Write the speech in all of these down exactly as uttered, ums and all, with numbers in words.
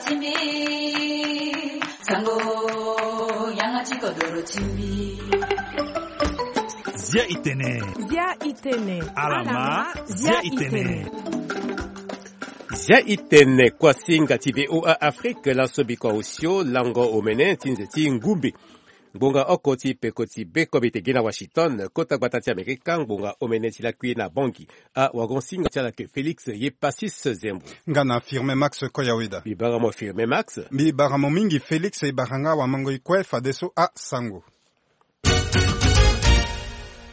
Timbi, sango, yanga ti kodoro timbi. Zia i tene. Zia i tene. Alama, zia i tene. Zia i tene kuasinga ti V O A Afrique, laso bikua osio lango omene ti nze ti ngumbi. Ngbonga oko ti peko ti be kobe te gi na Washington, kota gbata ti Amerika, ngbonga omene ti lakui na Bangui. Awagon singa ti ala ke Félix ye Passis Zembo. Nga na Firmin Max Koyaweda. Mbi bara mo Firmin Max. Mbi bara mo mingi Félix, e bara nga wamango i kue fadeso asango.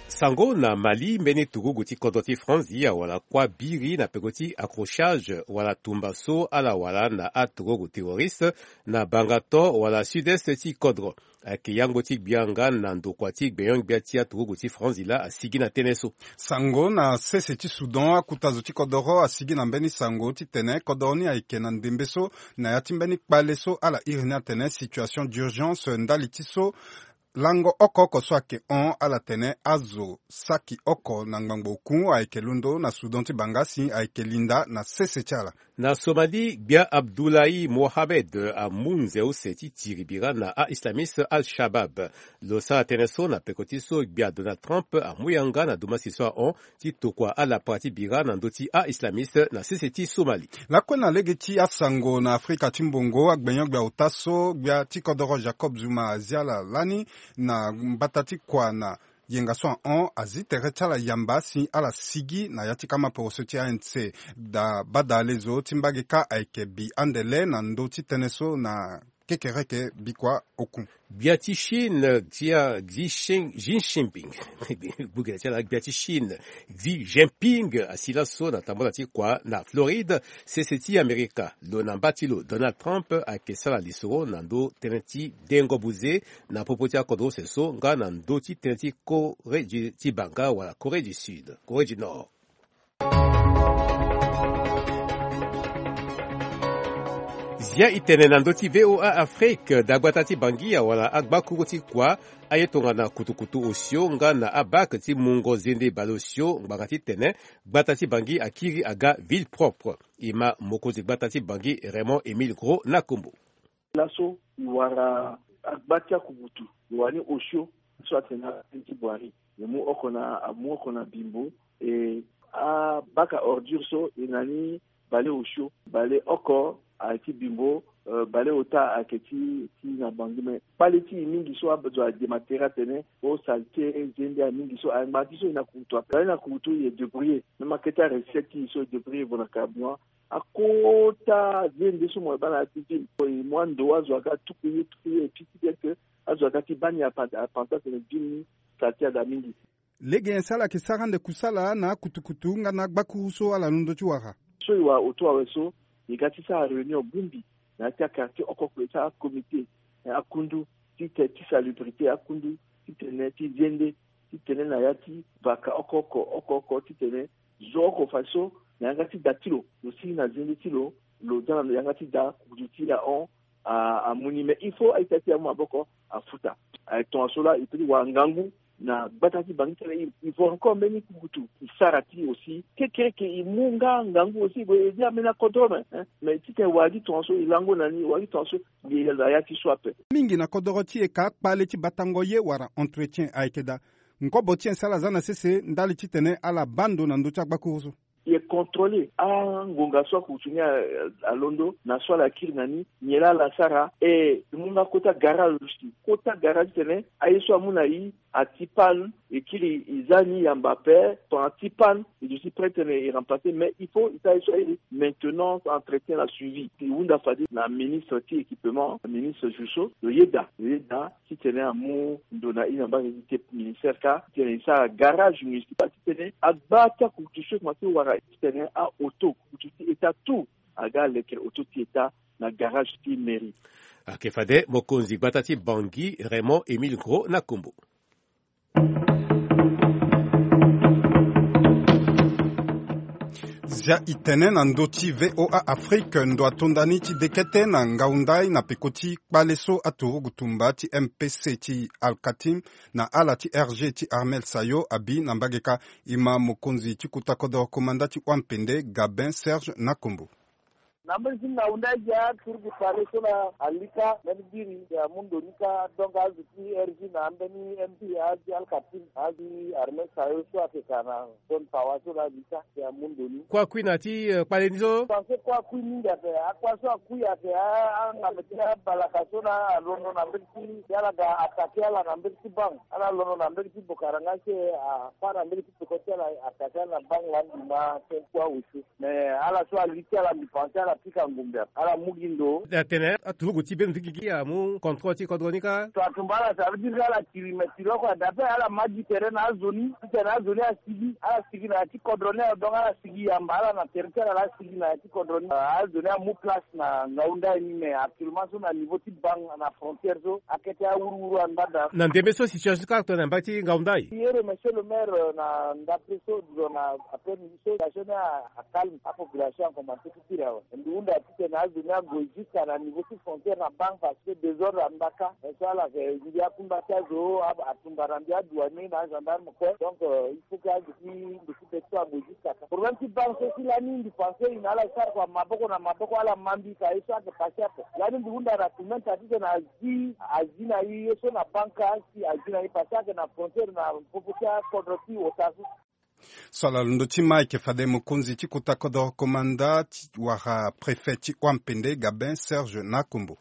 Sango na Mali, mbeni turugu ti kodro ti Franzi awara kuâ biri na peko ti accrochage wala tumba so ala wara na aturugu terroriste na bangato wala sud-est ti kodro. Ayeke yango ti gbia nga na ndokua ti gbenyo-gbia ti aturugu ti Franzi laa asigi na tënë so. Sango na sese ti Soudan, akuta zo ti kodoro asigi na mbeni sango titene kodoro ni ayeke na ndembe so na ya ti mbeni kpale so ala iri ni atene situation d'urgence ndali ti so lango oko oko so ayeke hon, ala tene azo saki oko na ngbangbo oku ayeke londo na Soudan ti banga si ayeke linda na sese ti ala. Na Somalie, gbia Abdoulaye Mohamed amu nze use ti tiri bira na a-islamiste Al-Shabab. Lo sara tënë so na peko ti so gbia Donald Trump amu yanga na dumasi so ahon ti tokua alapara ti bira na ndö ti a-islamiste na sese ti Somalie. Lakue na lege ti asango na Afrika ti mbongo, agbenyo-gbia ota so gbia ti kodoro Jacob Zuma azi ala lani na mbata ti kua na yenga so ahon azi tere ti ala yamba si ala sigi na ya ti kama poroso ti A N C. Da badale zo ti mbage kâ ayeke bi ande le na ndö ti tënë so na kekereke bikua oku. Gbia ti Chine, gbia Xi Shin-, Xi Jinping. Gbugene ti ala, gbia ti Chine, Xi Jinping, asi laso na tambula ti kua na Floride, sese ti Amerika. Lo na mba ti lo, Donald Trump, ayeke sara lisoro na ndö tënë ti dengo buze na popo ti akodro use so, nga na ndö ti tënë ti Corée du, ti banga wala Corée du Sud, Corée du Nord. Zia i tene na ndö ti V O A Afrique, dagbata ti Bangui awara agbakuru ti kua, aye tongana kutukutu osio nga na abak ti mungo zende baleosio ngbanga titene gbata ti Bangui akiri aga ville propre. E ma mokonzi gbata ti Bangui Raymond Émile Gros Nakombo. Laso e wara agba ti akubutu, e wara ni osio so atene ape ti Boirie. E mu oko na, amu oko na Bimbo, e abaka ordure so e na ni baleosio, baleoko ayeke ti Bimbo, eh, baleota ayeke ti, ti na Bangui. Me kpale ti e mingi so azo adema tere atene o saleté, zende aye mingi so, aye ngbanga ti so e na kurutu ape. Aye na kurutu e débrouiller. Même akete arecette ti e so e débrouiller vo na carburant. Akota zende so mo yeke baa na ya ti ville. E mu ando azo aga tuku ye, tuku ye, e piki bien que azo aga ti baa ni apan-, apanza atene ville ni saleté ada mingi. Lege nyen so ala yeke sara ande kusala na akutukutu nga na agbakuru so ala londo ti wara? So e wara auto awe so, e ga ti sara réunion bongbi na ya ti aquartier oko oko, e sara comité, eh, akundu ti te, ti salubrité akundu, titene ti zende, titene na ya ti vaka oko oko, oko oko, titene zo oko fa so na yanga ti da ti lo, lo sigi na zende ti lo, lo za na yanga ti da kutu ti ahon, a, amu ni. Mais il faut a-ita ti e amu maboko afuta. Aye tongaso laa e peut ti wara ngangu na gbata ti Bangui titene e, e vo encore mbeni kukutu e sara ti e aussi. Kekereke e mu nga ngangu aussi, e zi ambeni akodoro me, hein. Mais titene e wara gi tongaso e lango na ni, e wara gi tongaso e yeke na ya ti so ape. Mingi na kodoro ti e ka kpale ti batango ye wala entretien ayeke daa. Nkobo ti nyen so ala za na sese ndali titene ala baa ndo na ndö ti agbakuru so? E contrôler angonga so akurutu ni a, alondo, na so ala kiri na ni, nyen laa ala sara. E mu nga kota garage aussi. Kota garage titene aye so amu na e ati panne, e kiri e za ni yamba ape. Tongana ti panne, e duti prêt titene e remplacer, mais il faut e sara ye so airi maintenance, entretien na suivi. E hunda fade na ministre ti équipement, ministre Jusso, lo yeda, lo yeda titene amu ndo na e na mbage ti te ministère kâ, titene e sara garage municipal, titene agba ti akurutu so e komanse wara, titene a-auto, kurutu ti État tout aga lekere auto ti État na garage ti mairie. Ayeke fade mokonzi gbata ti Bangui, Raymond Émile Gros Nakombo. Zia e tene na ndö ti V O A Afrique, ndo ato nda ni ti dekete na ngau ndai na peko ti kpale so aturugu tumba ti M P C ti Al-Katim na ala ti R G ti Armel Sayo abi na mbage kâ. E ma mokonzi ti kota kodoro komanda ti wampende Gabin Serge Nakombo. Na mbeni ti ngaunda agi aturugu tare so laa alika mbeni biri si amu ndo ni kâ. Donc azo ti R G na ambeni M P azi alkapine azi armée sayo so ayeke ka na zone pawa so laa alika si amu ndo ni. Kue akui na ya ti kpale ni so. Pense kue akui mingi ayeke akuâ so akui ayeke angambe ti abalaka so laa alondo na mbeni ti ala ga atake ala na mbeni ti bank ala londo na mbeni ti bokaranga si apa na mbeni ti peko ti ala atake ala na bank laa mbi ma ti kue awe so. Mais ala so ali ti ala mbi pense ala pika ngumbe ala mu gi ndo. Atene aturugu ti beno ti gigi amu contrôle ti kodro ni kâ. So atumba ala ça veut dire ala kiri mais kiri oko adape ala ma gi tere na azo ni titene azo ni asigi ala sigi na ya ti kodro ni ayo donc ala sigi yamba ala na tere ti ala laa asigi na ya ti kodro ni azo ni amu place na ngaunda ni mais actuellement so na niveau ti bank na frontière so akete awuruwuru andada. Na ndembe so situation ti kâ tongana mbage ti ngaunda aye. Ye remercier le maire na ndapre so dio na après midi so situation ni acalme apopulation akomanse ti tiri awe. Mbi hunda titene azo ni ague jusqu'à na niveau ti frontière na bank parce que désordre anda kâ. Mais so ala yeke ndia akunda ti azo atumba na ndia adouanier na agendarme kue donc il faut que azo ti mbi ti be ti so ague jusqu'à kâ problème ti bank so si lani mbi pense e na ala sara kua maboko na maboko ala ma mbi ka ye so ayeke passe ape. Lani mbi hunda na tumenta titene azi azi na ye ye so na bank kâ si azi na ye passe ayeke na frontière na popo ti akodro ti ota so. So ala londo ti ma ayeke fade mokonzi ti kota kodro komanda ti wara préfet ti wampende gabin serge nakombo.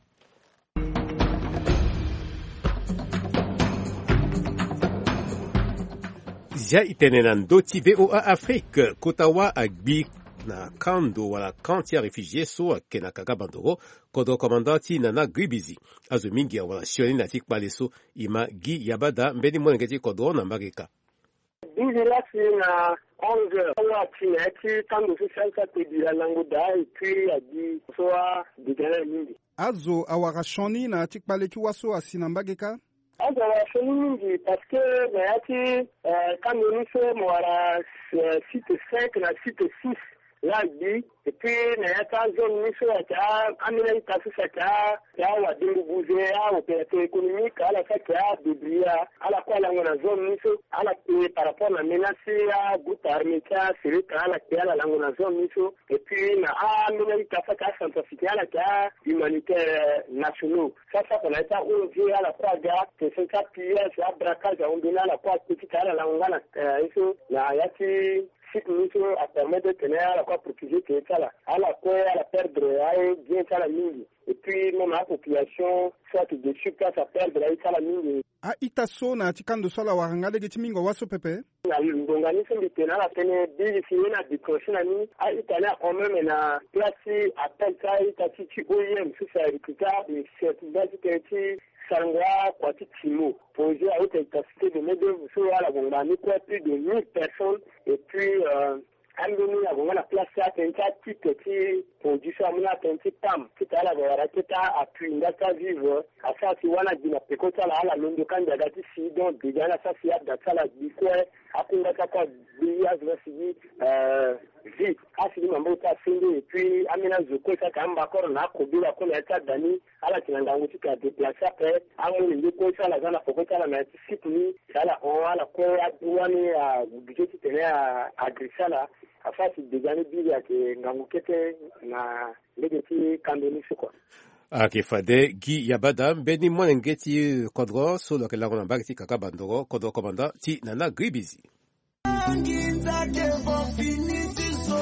Zia itene na ndö ti VOA Afrique kota wâ agbi na kando wala kan ti aréfugié so ayeke na kaka bandoro. Kodro komanda ti nana gribizi azo mingi awara sioni na ti kpale so. Ima gi yabada mbeni molenge ti kodro na mbage ka. Bizi lasi na onze heures awa ti na ya ti kando so si alisa tedi alango daa epui adi so adega na ya mingi. Azo awara sioni na ya ti kpale ti wâ so asi na mbage ka. Azo awara sioni mingi parce que na ya ti kando ni so mo wara site cinq na site six laa agbi. Epui na ya ti azone ni so ayeke ambeni ayita so si ayeke awadengo buze aopérateur économique ala so ayeke adébrouiller ala kue alango na zone ni so ala kpe par rapport na menace ti agroupe armé ti asereka ala kpe ala lango na zone ni so. Epui na ambeni ayita so ayeke acentrafricain ala yeke ahumanitaire nationaux so asako na ya ti aong ala kue aga question ti apillage abraquage ahon mbeni ala kue akpe ti ka ala lango nga na ye so na ya ti site ni so apermettre tene ala kue aprotégé tene ti ala ala kue ala perdre aye bien ti ala mingi. Epui même apopulation so ayeke de sur place aperdre aye ti ala mingi. A-ita so na ya ti kando so ala wara nga lege ti mingo wâ so pepe. Na ngonga ni so mbi tene ala tënë biri si ye ni adéclenché na ni a-ita ni ahon même na place ti appel ti a-ita ti ti oim so si arecruté abe sertida ti tënë ti sarango akua ti timo projet a haute intensité de main d'oeuvre so ala gonga ni kue plus de mille personnes. Epui ambeni agonga na place ti atene ti atitre ti produit so amu na atene ti pam ti tene ala ga wara kete appui nga ti avivre asara si wani agbi na peko ti ala ala londo ka njaga ti si donc déjà ni asara si ada ti ala agbi kue. Akunda ti akue agbi azo na sigi vie asigi maboko ti asende epui ambeni azo kue si ayeke ambakoro na akobela kue na ya ti ada ni ala yeke na ngangu ti tene adéplace ape. Amolenge kue so ala za na peko ti ala na ya ti site ni si ala hon ala kue adu wani agubi ti tene agressé ala. Afâ si déjà ni biri ayeke ngangu kete na lege ti kando ni so kua. Ayeke fade gi yabada mbeni molenge ti kodro so lo yeke lango na mbage ti kaka bandoro kodro komanda ti nana gribizi. Nginza ke vo fini ti so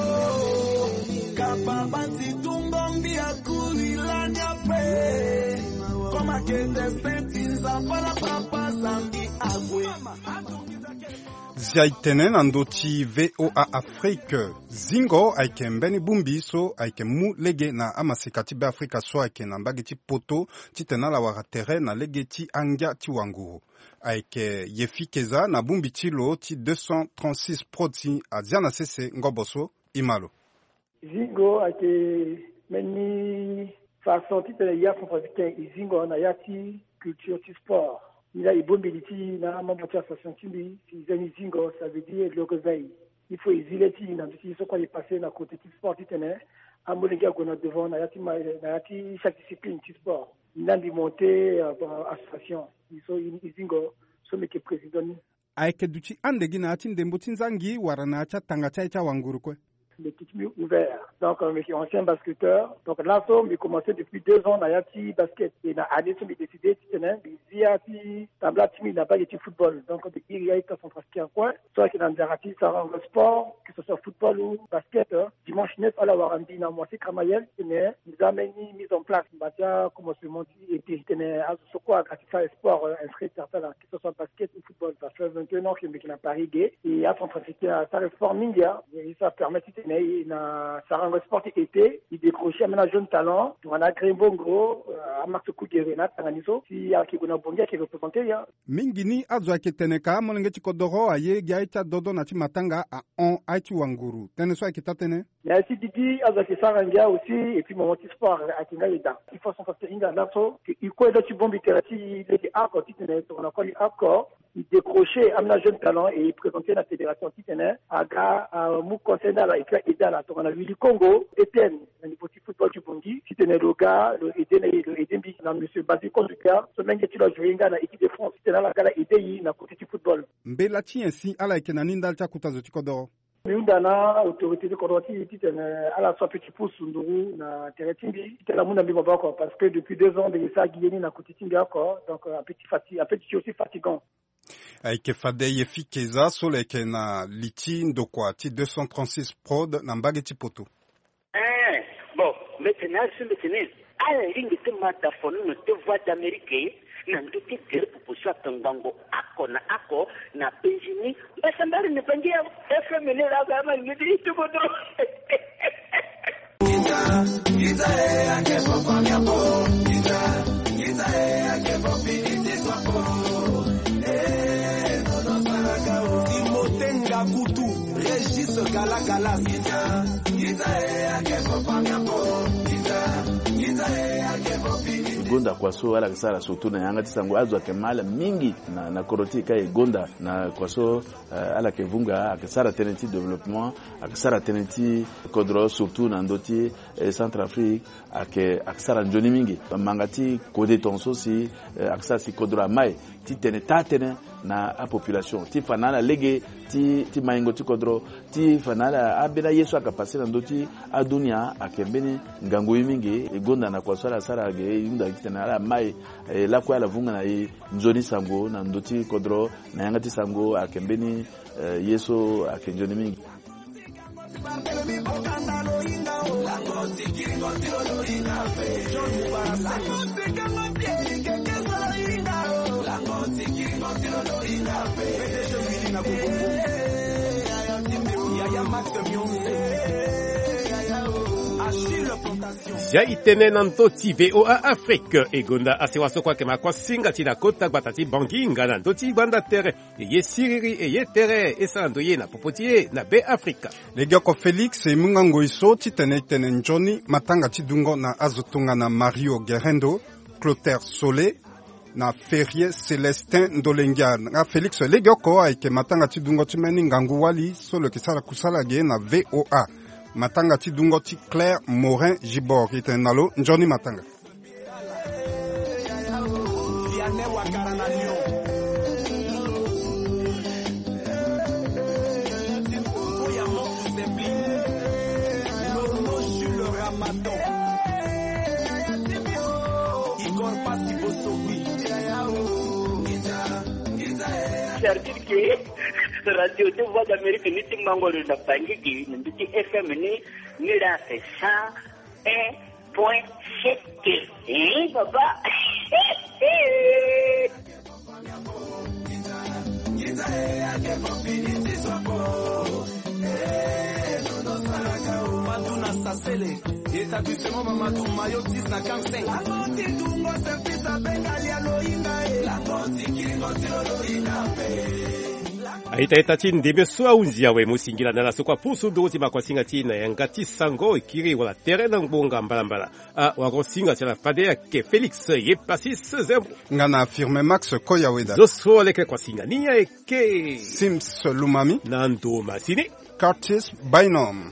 kapa banzi tungo mbi akuri lani ape. Koma ke destin ti nzapa na papa zambi ague. Zia itene na ndö ti VOA Afrique. Zingo ayeke mbeni bongbi so ayeke mu lege na amaseka ti Beafrika so ayeke na mbage ti poto titene ala wara tere na lege ti angia ti wanguru. Ayeke Yefi Keza na bongbi ti lo ti deux cent trente-six prod si azia na sese ngobo so. Ima lo. Zingo ayeke mbeni façon titene ya centrafricain e zingo na ya ti culture ti sport. Ni laa e bongbi li ti na amembre ti association ti mbi si e za ni zingo ça veut dire le réveil. Il faut e zi le ti e na ndö ti ye so kue aye passé na côté ti sport titene amolenge ague na devant na ya ti ma na ya ti chaque discipline ti sport. Ni laa mbi monté association e so e zingo so mbi yeke président ni. Ayeke duti ande gi na ya ti ndembo ti nzangi wala na ya ti atanga ti aye ti awanguru kue? Mbi yeke ti mbi ouvert. Donc, euh, mbi yeke ancien basketteur. Donc, laso mbi commencé depuis deux ans na ya ti basket. Et na année so mbi décidé titene mbi zi ya ti tambula ti mbi na mbage ti football. Donc, mbi iri ya ti acentrafricain coin so ayeke na nzara ti sarango sport, que ce soit football ou basket, hein. Dimanche neuf ala wara mbi na mois ti Cramayel titene mbi za mbeni mise en place. Mbi baa ti acommencement ti été titene azo so kue aga ti sara sport, euh, inscrit certains là, que ce soit basket ou football. Ça fait vingt et un ans que mbi yeke na Paris ge. Et acentrafricain asara sport mingi, hein. Et ça permet titene e na sarango sport ti été e décrocher ambeni ajeune talent tongana Green Bongo, euh, Amax Kugere na atanga ni so si ayeke gue na Bongi ayeke représenté ya. Mingi ni azo ayeke tene ka amolenge ti kodoro aye gi aye ti adodo na ti matanga ahon aye ti wanguru. Tënë so ayeke taa tënë. Mais aye ti gigi azo ayeke sara ngia aussi. Et puis moment ti sport ayeke nga eda. Il faut acentrafricain hinga laso que e kue ndo ti bongbi tere ti e lege oko titene tongana koli oko e décrocher ambeni ajeune talent et e présenter na fédération titene aga amu conseil na ala et puis aide ala tongana Willy Congo, Etienne, na niveau ti football ti Bongi titene lo ga lo aide na e, lo aide mbi na monsieur Basile Konduka so menge ti lo ajoue nga na équipe de France titene ala ga ala aide e na côté ti football. Mbela ti nyen si ala yeke na ni ndali ti akota zo ti kodoro? Mbi hunda na autorité ti kodro ti e titene ala so ape ti pusu nduru na tere ti mbi titene amu na mbi maboko, parce que depuis deux ans mbi yeke sara gi ye ni na côté ti mbi oko. Donc, euh, ape ti fati ape ti aussi fatigant. Ayeke fade Yefi Keza so lo yeke na li ti ndokua ti deux cent trente-six Prod na mbage ti Poto. Eh, bon, mbi tene azo mbi tene ala lingbi ti ma dafonono ti Voix d'Amérique na ndö ti gere popo so atongbango oko na oko na penzi ni. Mbasambari ni bangi ya F M ni la ba ma ni ti tubo dro. Timothée Ngakutu, Régis Galagala. E gonda kua so ala yeke sara surtout na yanga ti sango, azo ayeke ma ala mingi na, na kodro ti e ka e gonda na kua so, eh, ala yeke vunga, ayeke sara tënë ti développement, ayeke sara tënë ti kodro, surtout na ndö ti, eh, Centrafrique, ayeke, ayeke sara nzoni mingi. Manga ti kode tongaso si, eh, ayeke sara si kodro amai ti tene taa tënë na apopulation ti fa na ala lege ti, ti maingo ti kodro, ti fa na ala ambeni aye so ayeke pase na ndö ti adunia ayeke mbeni ngangu ye mingi. E gonda na kua so ala sara ge, e hunda titene ala mai, e lakue ala vunga na e nzoni sango na ndö ti kodro na yanga ti sango ayeke mbeni, eh, ye so ayeke nzoni mingi. Zia e tene na ndö ti V O A Afrique. E gonda asewa so kue ayeke ma kuasinga ti na kota gbata ti Bangui nga na ndö ti gbanda tere. E ye siriri e ye tere e sara ndo ye na popo ti e na Be Afrika. Legeoko Félix e mu nga ngoi so titene e tene nzoni matanga ti dungo na azo tongana Mario Gerendo, Clotaire Sole, na Ferrier Célestin Ndolengia. Nga Félix, legeoko ayeke matanga ti dungo ti mbeni ngangu wali so lo yeke sara kusala ge na V O A. Matanga ti dungo ti Claire Morin Gibor. E tene na lo nzoni matanga. C'est-à-dire que radio de Voix d'Amérique ni ti mango lo na Bangui ge na ndö ti F M ni, ni la c'est cent un point sept. Hein, papa. Mamadou na Sasele, établissement Mamadou, maillot dix na quarante-cinq. Lango ti dungo service abenga lia loinga e. Lango ti kiringo ti lo loinga pe. Aita ita ti ndembe so ahunzi awe mo singila na ala so kue apusu nduru ti makuasinga ti e na yanga ti sango, e kiri wala tere na ngbonga mbalambala. Awara singa ti ala fade ayeke Félix ye Pasis Zembo. Nga na Firme Max Koyaweda. Zo so aleke kuasinga ni ayeke Sims Lumami. Na ndo masini Curtis Bynum.